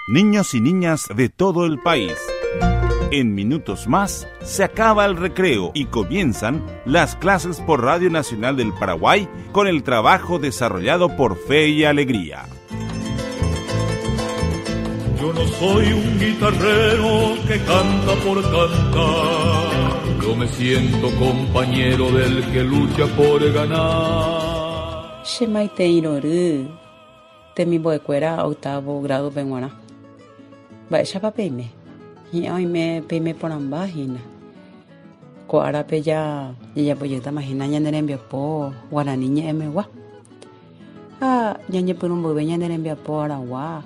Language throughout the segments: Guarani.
Niños y niñas de todo el país. En minutos más se acaba el recreo y comienzan las clases por Radio Nacional del Paraguay con el trabajo desarrollado por Fe y Alegría. Yo no soy un guitarrero que canta por cantar. Yo me siento compañero del que lucha por ganar. Che maitei rory temimbo'ekuéra octavo grado-pe g̃uarã. Mba'éichapa peime? Hi'ã oime peime porãmba hína. Ko árape ja jajapojeýtama hína ñane rembiapo guarani ñe'ẽmegua. Ha ñañepyrũ mboyve ñane rembiapo aragua,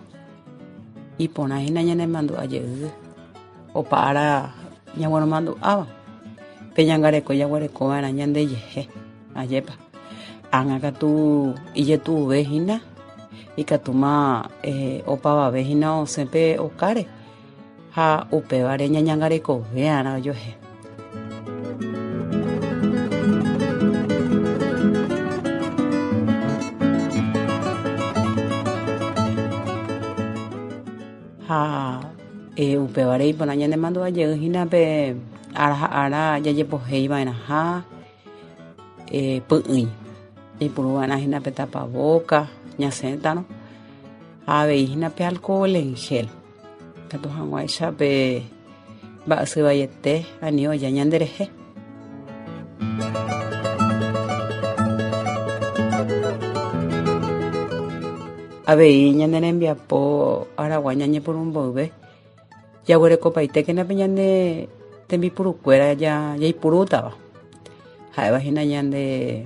iporã hína ñanemandu'a jey opa ára ñagueromandu'áva. Pe ñangareko jaguerekova'erã ñandejehe, ajépa. Ág̃a katu ijetu'uve hína, ikatúma opavave hína osẽ pe okáre ha upévare ñañangarekove'arã ojuehe. Ha upévare iporã ñanemandu'a jey hína pe ára ha ára jajepohéi va'erãha py'ỹi. Jaipuru va'erã hína pe tapavóka ñasẽtarõ ha avei hína pe alcohol en gel. Ikatu hag̃uáicha pe mba'asy vaiete ani oja ñanderehe. Avei ñane rembiapo aragua ñañepyrũ mboyve jaguerekopaitékena pe ñane tembipurukuéra jaipurútava. Ha'éva hína ñande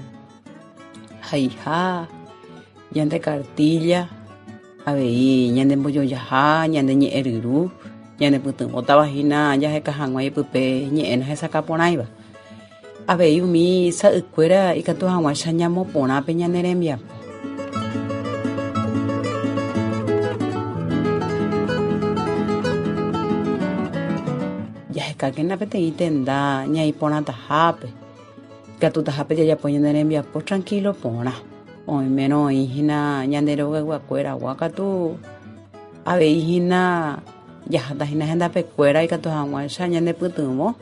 haiha, ñande kartílla. Avei ñanembojojaha ñane ñe'ẽ ryru, ñanepytyvõtava hína jaheka hag̃ua ipype ñe'ẽ nahesakã porãiva. Avei umi sa'ykuéra ikatu hag̃uáicha ñamoporã pe ñane rembiapo. Jahekákena peteĩ tenda ñaiporãtahápe, ikatutahápe jajapo ñane rembiapo trankílo porã. Oimérõ oĩ hína ñande rogayguakuéragua katu avei hína jaháta hína hendapekuéra ikatu hag̃uáicha ñanepytyvõ.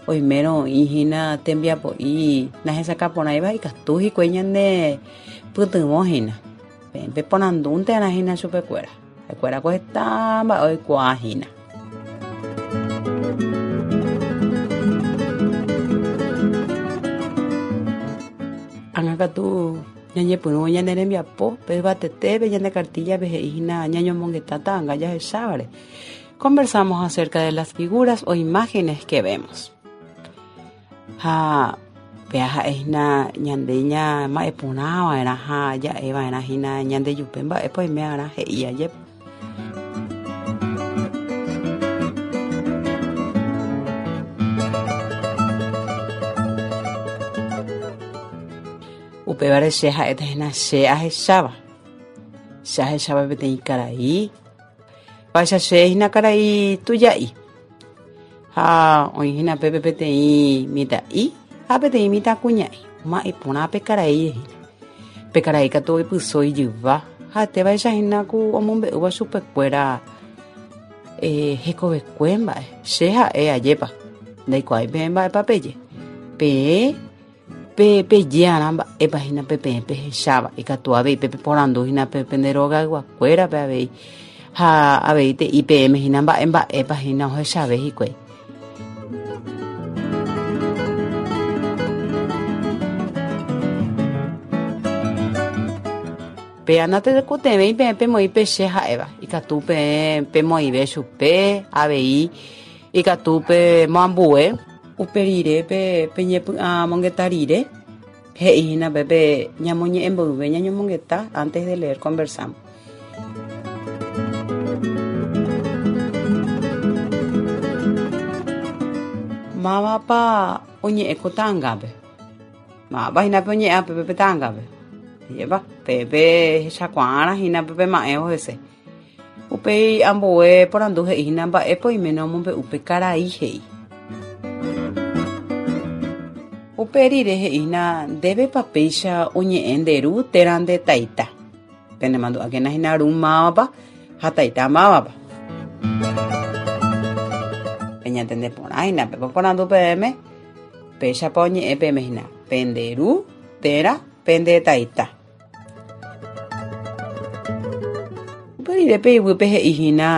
Oimérõ oĩ hína tembiapo'i nahesakã porãiva ikatu hikuái ñanepytyvõ hína. Peẽ peporandúntearã hína chupekuéra. Ha'ekuéra ko heta mba'e oikuaa hína. Ág̃a katu ñañepyrũ ñane rembiapo pe yvatetépe ñande kartíllape he'i hína ñañomongeta ta'anga jahechávare. Conversamos acerca de las figuras o imágenes que vemos. Ha péa ha'e hína ñande ñama'ẽ porã va'erã ha ja'e va'erã hína ñandejupe mba'épa oime arã he'i ajépa. Upévare che ha'éta hína che ahecháva. Che ahecháva peteĩ karai, vaicha che hína karai tuja'i. Ha oĩ hína pépe peteĩ mitã'i ha peteĩ mitãkuña'i. Oma'ẽ porã pe karai hína. Pe karai katu oipyso ijyva ha'etévaicha hína ku omombe'úva chupekuéra eh, hekovekue mba'e. Che ha'e ajépa, ndaikuaái peẽ mba'épa peje. Peẽ pe pejearã mba'épa hína pe peẽ pehecháva. Ikatu avei pe peporandu hína pe pende rogayguakuérape avei. Ha avei te'i peẽme hína mba'e mba'épa hína ohechave hikuái. Péa natekotevẽi peẽ pemoĩ pe che ha'éva. Ikatu peẽ pemoĩve chupe avei ikatu pemoambue. Upe rire pe peñepy'amongeta rire, he'i hína pe pe ñamoñe'ẽ mboyve ñañomongeta antes de leer conversamos. Mávapa oñe'ẽ ko ta'angápe? Mávapa hína pe oñe'ẽ ápe pe ta'angápe? Ajépa, pe pehechakuaárã hína pe pema'ẽvo hese. Upéi ambue porandu he'i hína mba'épa oiméne omombe'u pe karai he'i. Upe rire he'i hína ndévepa péicha oñe'ẽ nde ru térã nde taita. Penemandu'ákena hína ru mávapa ha taita mávapa. Peñantende porã hína, peporandu peẽme péichapa oñe'ẽ peẽme hína, pende ru térã pende taita. Upe rire pe iguýpe he'i hína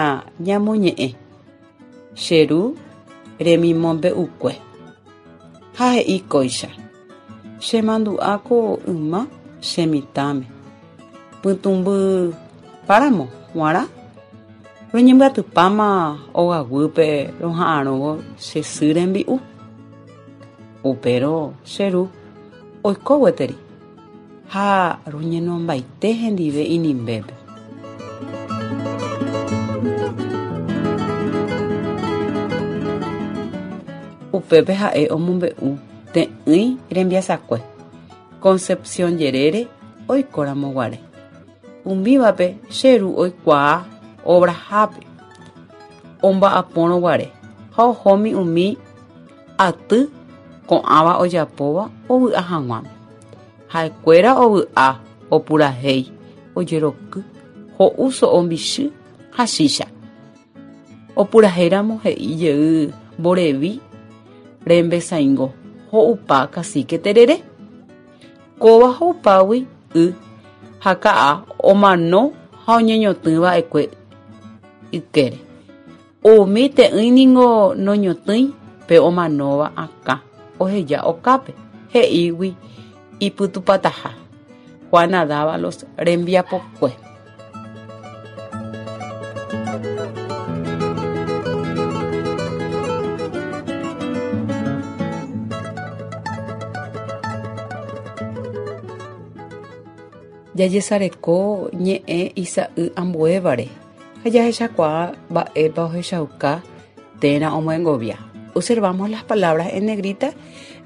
ñamoñe'ẽ, Che ru remimombe'ukue. Ha he'i kóicha, Chemandu'a ko yma che mitãme, pytũmby páramo g̃uarã roñembyatypáma ogaguýpe roha'arõvo che sy rembi'u. Upérõ che ru oiko gueteri ha roñenombaite hendive inimbépe. Upépe ha'e omombe'u te'ỹi rembiasakue Concepción jerére oikóramo guare. Umívape che ru oikuaa obrahápe omba'apórõ guare ha ohómi umi aty ko'ãva ojapóva ovy'a hag̃uáme. Ha'ekuéra ovy'a, opurahéi, ojeroky, ho'u so'o mbichy ha chícha. Opurahéiramo he'i jey mborevi rembesaingo ho'upa kasíke terere. Kóva ho'upágui y ha ka'a omano ha oñeñotỹ va'ekue ykére. Umi te'ỹi ningo noñotỹi pe omanóva akã oheja okápe, he'ígui ipytupataha. Juana Dávalos rembiapokue. Jajesareko ñe'ẽ isa'y ambuévare ha jahechakuaa mba'épa ohechauka térã omyengovia. Observamos las palabras en negrita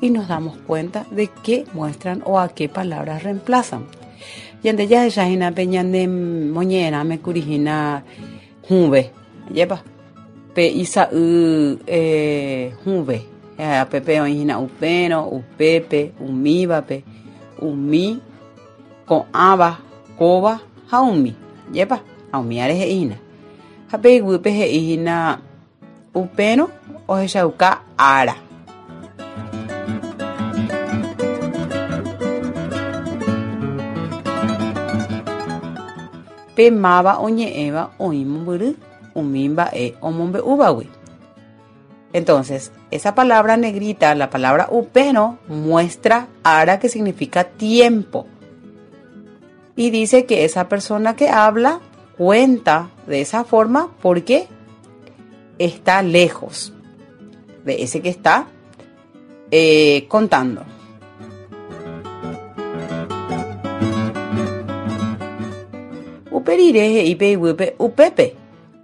y nos damos cuenta de qué muestran o a qué palabras reemplazan. Ñande jahecha hína pe ñane moñe'ẽrãme kuri hína hũve, ajépa? Pe isa'y eh, hũve, pépe oĩ hína upérõ, upépe, umívape, umi, ko'ãva, kóva ha umi, ajépa? Ha umíare he'i hína. Ha pe iguýpe he'i hína Upérõ ohechauka ára. Pe máva oñe'ẽva oĩ mombyry umi mba'e omombe'úvagui. Entonces, esa palabra negrita, la palabra upérõ, muestra ára que significa tiempo. Y dice que esa persona que habla cuenta de esa forma porque está lejos de ese que está eh, contando. Upe rire he'i pe iguýpe upépe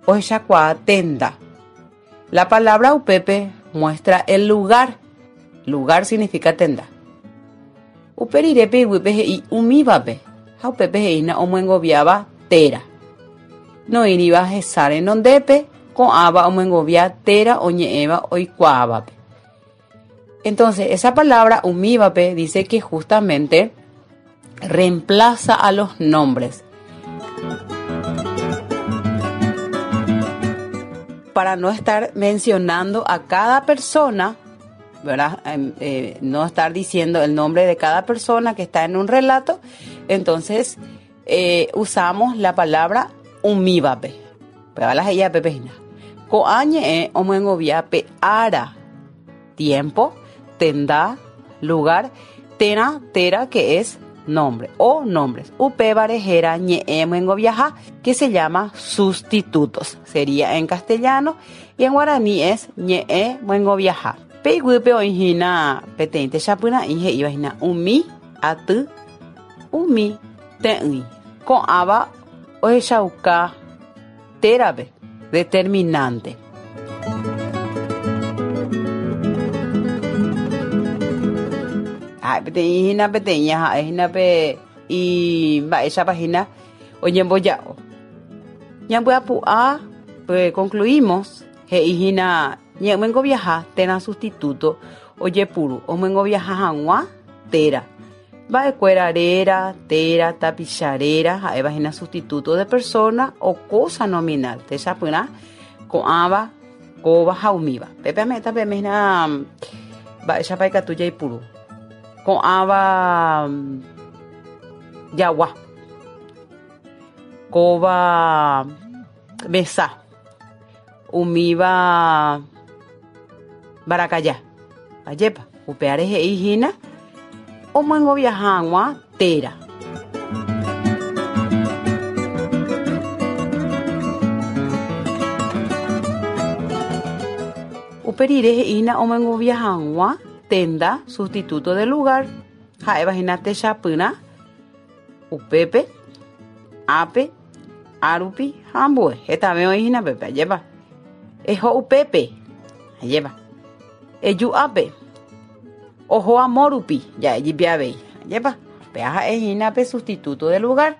ohechakuaa tenda. La palabra upépe muestra el lugar. Lugar significa tenda. Upe rire pe iguýpe he'i umívape ha upépe he'ína omyengoviáva téra. Noĩriva hesa renondépe, ko'ãva omyengovia téra oñe'ẽva oikuaávape. Entonces, esa palabra umívape dice que justamente reemplaza a los nombres. Para no estar mencionando a cada persona, ¿verdad? Em, eh, no estar diciendo el nombre de cada persona que está en un relato, entonces eh, usamos la palabra umívape. Péva la he'i pépe hína. Ko'ã ñe'ẽ omyengovia pe ára, tiempo, tenda, lugar, térã téra que es nombre o nombres. Upévare héra ñe'ẽ myengoviaha que se llama sustitutos. Sería en castellano y en guaraní es ñe'ẽ myengoviaha. Pe iguýpe oĩ hína peteĩ techapyrã'i he'íva hína umi aty, umi te'ỹi. Ko'ãva ohechauka térape determinante. Ha'e peteĩ hína peteĩ ha'e hína pe imba'éichapa hína oñemboja'o. Ñambyapu'a pe concluimos he'i hína ñe'ẽmyengoviaha térã sustituto ojepuru omyengoviaha hag̃ua téra. Mba'ekuéra réra, téra, tapicha réra ha'éva hína sustituto de persona o cosa nominal. Techapyrã. Ko'ãva, kóva ha umíva. Pépe ame'ẽta peẽme hína mba'éichapa ikatu jaipuru. Ko'ãva jagua. Kóva mesa. Umíva mbarakaja. Ajépa, upévare he'i hína omyengovia hag̃ua téra. Upe rire he'i hína omyengovia hag̃ua tenda sustituto de lugar ha'éva hína techapyrã upépe, ápe, árupi ha ambue. Hetave oĩ hína pépe, ajépa. Eho upépe, ajépa. Eju ápe. Oho amo rupi, ja'e jepi avei. Ajépa, péva ha'e hína pe sustituto de lugar.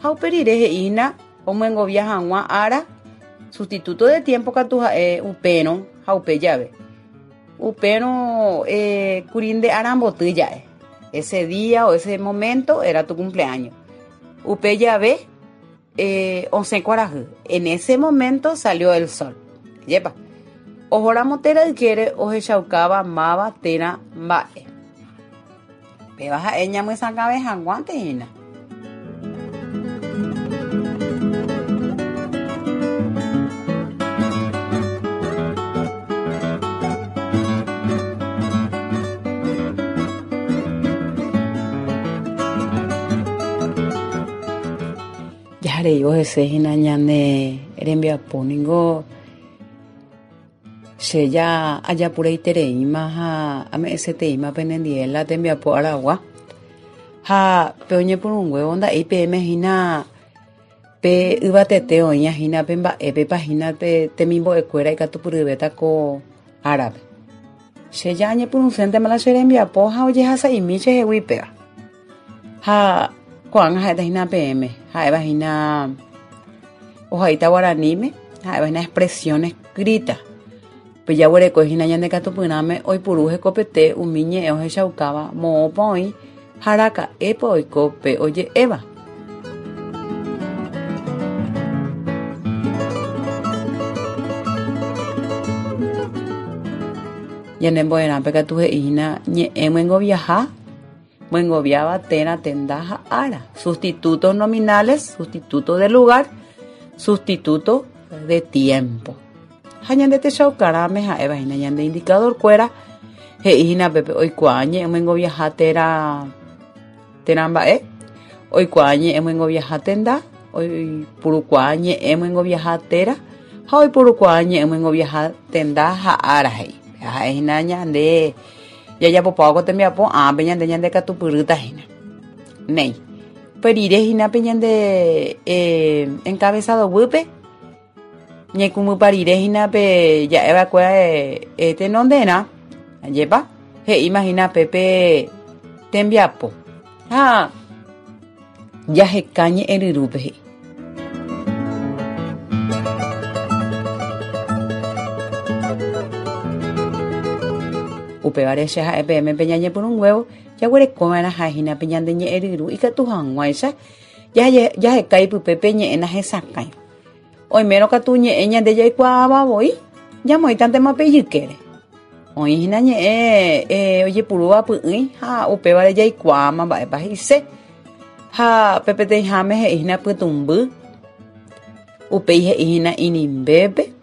Ha upe rire he'i hína omyengovia hag̃ua ára, sustituto de tiempo katu ha'e upérõ ha upe jave. Upérõ eh, kuri nde aramboty ja'e. Ese día o ese momento era tu cumpleaños. Upe jave eh, osẽ kuarahy. En ese momento salió el sol. Ajépa. Ohóramo térã ykére ohechaukáva máva térã mba'e. Péva ha'e ñamyesakãve hag̃uánte hína. Jahareivo hese hína ñane rembiapo ningo che ja ajapureitereíma ha ame'ẽseteíma penendie la tembiapo aragua. Ha pe oñepyrũnguévo nda'éi peẽme hína pe yvatete oĩva hína pe mba'épepa hína pe temimbo'ekuéra ikatupyryvéta ko árape. Che ja añepyrũséntema la che rembiapo ha ojehasa'imi chehegui péva. Ha ko'ág̃a ha'éta hína peẽme, ha'éva hína ohaíta guaraníme, ha'éva hína expresión escrita. Pe jaguereko hína ñande katupyrãme oipuru hekopete umi ñe'ẽ ohechaukáva moõpa oĩ ha araka'épa oiko pe oje'éva. Ñane mbo'erãpe katu he'i hína ñe'ẽ myengoviaha, myengoviáva térã tenda ha ára, sustitutos nominales, sustituto de lugar, sustituto de tiempo. Ha ñande techaukarãme ha'éva hína ñande indicador kuéra he'i hína pépe oikuaa ñe'ẽ myengoviaha térã térã mba'e, oikuaa ñe'ẽ myengoviaha tenda, oipurukuaa ñe'ẽ myengoviaha téra ha oipurukuaa ñe'ẽ myengoviaha tenda ha ára he'i. Ha'e hína ñande jajapopávo ko tembiapo ápe ñande ñandekatupyrýta hína. Néi. Upe rire hína pe ñande eh, encabezado guýpe Ñaikũmbypa rire hína pe ja'e va'ekue tenonderã, ajépa? He'íma hína pe pe tembiapo. Ha jaheka ñe'ẽ ryrúpe he'i. Upévare che ha'e peẽme pe ñañepyrũnguévo jaguereko va'erã ha'e hína pe ñande ñe'ẽ ryru ikatu hag̃uáicha jaheka ipype pe ñe'ẽ nahesakãi. Oimérõ katu ñe'ẽ ñande jaikuaáva voi, ñamoĩtantema pe ijykére. Oĩ hína ñe'ẽ eh, ojepurúva py'ỹi ha upévare jaikuaáma mba'épa he'ise. Ha pe peteĩháme he'i hína pytũmby, upéi he'i hína inimbépe,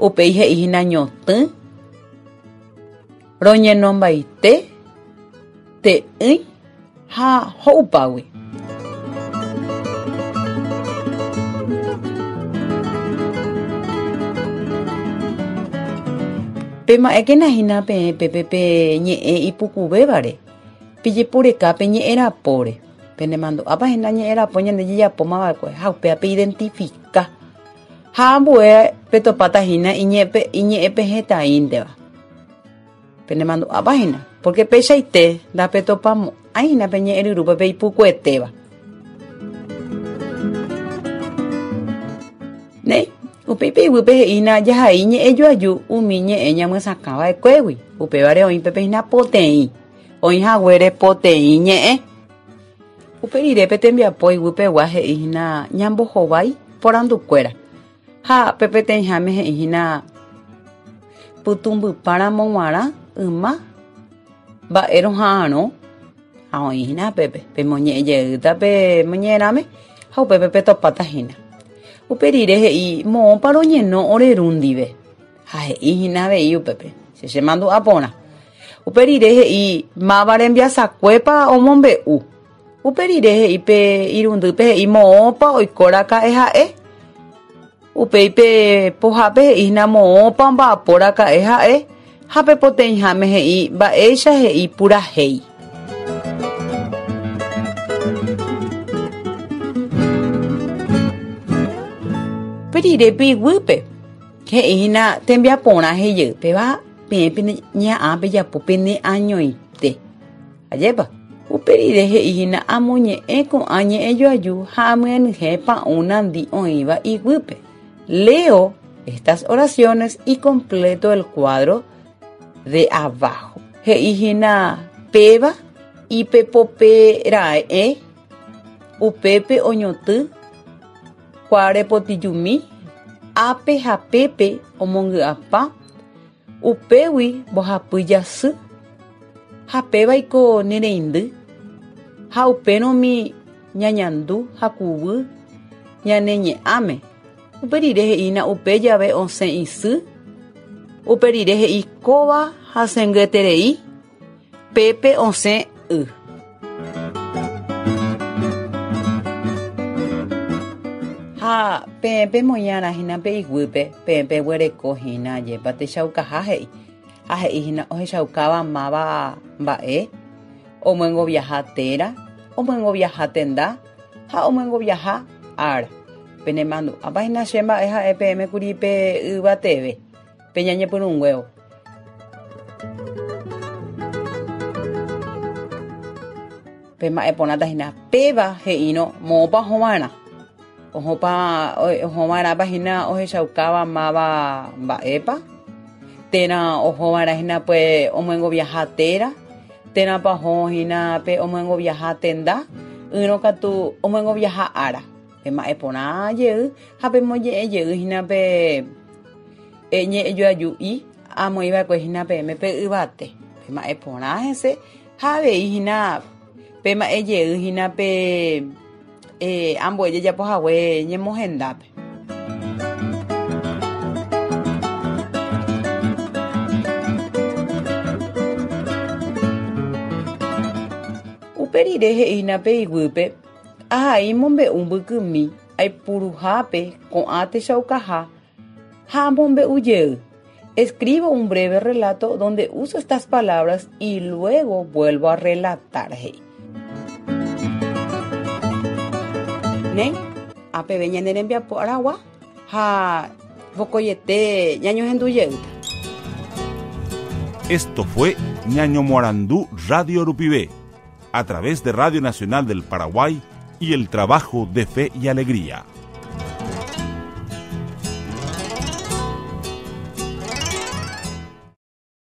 upéi he'i hína ñotỹ, roñenombaite, te'ỹi ha ho'upágui. Pema'ẽkena hína peẽ pépe pe ñe'ẽ ipukuvévare, pejeporeka pe ñe'ẽ rapóre. Penemandu'ápa hína ñe'ẽ rapo ñande jajapóma va'ekue ha upéva peidentifika. Ha ambue petopáta hína iñe'ẽpehẽtaínteva. Penemandu'ápa hína? Pórke peichaite ndapetopamo'ãi hína pe ñe'ẽryrúpe pe ipukuetéva. Néi, upéi pe iguýpe he'i hína jahai ñe'ẽjoaju umi ñe'ẽ ñamyesakã va'ekuégui. Upévare oĩ pépe hína poteĩ, oĩ haguére poteĩ ñe'ẽ. Upe rire pe tembiapo iguypegua he'i hína ñambohovái porandukuéra. Ha pe peteĩháme he'i hína pytũmbypa ramo g̃uarã yma mba'e roha'arõ ha oĩ hína pépe pemoñe'ẽ jeýta pe moñe'ẽrãme ha upépe petopáta hína. Upe rire he'i moõpa roñeno ore ru ndive ha he'i hína avei upépe che chemandu'a porã. Upe rire he'i máva rembiasakuépa omombe'u. Upe rire he'i pe irundýpe he'i moõpa oiko raka'e ha'e. Upéi pe pohápe he'i hína moõpa omba'apo raka'e ha'e ha pe poteĩháme he'i mba'éicha he'i purahéi. Upe rire pe iguýpe he'i hína tembiaporã he'ijey péva peẽ pene ñe'ã pejapo pene añoite. Ajépa? Upe rire he'i hína amoñe'ẽ ko'ã ñe'ẽjoaju ha amyenyhẽ pa'ũ nandi oĩva iguýpe. Leo estas oraciones y completo el cuadro de abajo. He'i hína péva ipepope ra'e, upépe oñotỹ kuarepotijumi, ápe ha pépe omongy'apa, Upégui mbohapy jasy, ha pévaiko ne reindy, ha upérõmi ñañandu hakuvy ñane ñe'ãme. Upe rire he'ína upe jave osẽ isy, upe rire he'i kóva hasẽngyeterei, pépe osẽ y. Ha peẽ pemoĩ'arã hína pe iguýpe, peẽ peguereko hína ajépa techaukaha he'i. Ha he'i hína ohechaukáva máva mba'e, omyengoviaha téra, omyengoviaha tenda ha omyengoviaha ára. Penemandu'ápa hína che mba'e ha'e peẽme kuri pe yvateve, pe ñañepyrũnguévo. Pe mba'e porãta hína péva he'írõ moõpa ohova'erã. Ohópa ohova'erãpa hína ohechaukáva máva mba'épa, térã ohova'erã hína pe omyengoviaha téra, térãpa oho hína pe omyengoviaha tenda, ỹrõ katu omyengoviaha ára. Pe mba'e porã jey ha pemoñe'ẽ jey hína pe ñe'ẽjoaju'i amoĩva'ekue hína peẽme pe yvate. Pe mba'e porã hese Ha avei hína pe mba'e jey hína pe ambue jajapo hague ñemohendápe. Upe rire he'i hína pe iguýpe, Ahai mombe'u mbykymi aipuruhápe ko'ã techaukaha Ha amombe'u jey. Escribo un breve relato donde uso estas palabras y luego vuelvo a relatar, he'i. Néi, apeve ñane rembiapo aragua ha vokoiete ñañohendu jeýta. Esto fue Ñañomoarandu Radio Rupive, a través de Radio Nacional del Paraguay y el trabajo de Fe y Alegría.